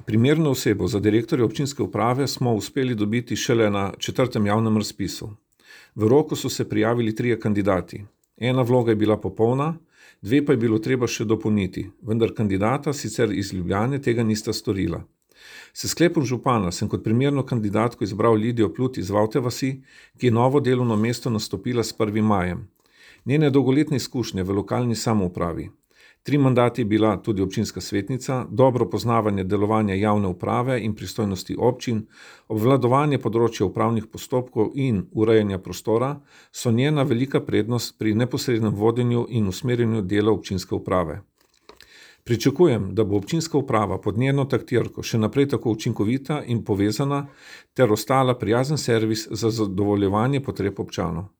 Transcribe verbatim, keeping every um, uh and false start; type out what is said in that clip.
Primerno osebo za direktorja občinske uprave smo uspeli dobiti šele na četrtem javnem razpisu. V roku so se prijavili trije kandidati. Ena vloga je bila popolna, dve pa je bilo treba še dopolniti, vendar kandidata sicer iz Ljubljane tega nista storila. S sklepom župana sem kot primerno kandidatko izbral Lidijo Plut iz Vavte vasi, ki je novo delovno mesto nastopila s prvim majem. Njene dolgoletne izkušnje v lokalni samoupravi. Tri mandati je bila tudi občinska svetnica, dobro poznavanje delovanja javne uprave in pristojnosti občin, obvladovanje področja upravnih postopkov in urejanja prostora so njena velika prednost pri neposrednem vodenju in usmerjanju dela občinske uprave. Pričakujem, da bo občinska uprava pod njeno taktirko še naprej tako učinkovita in povezana ter ostala prijazen servis za zadovoljevanje potreb občanov.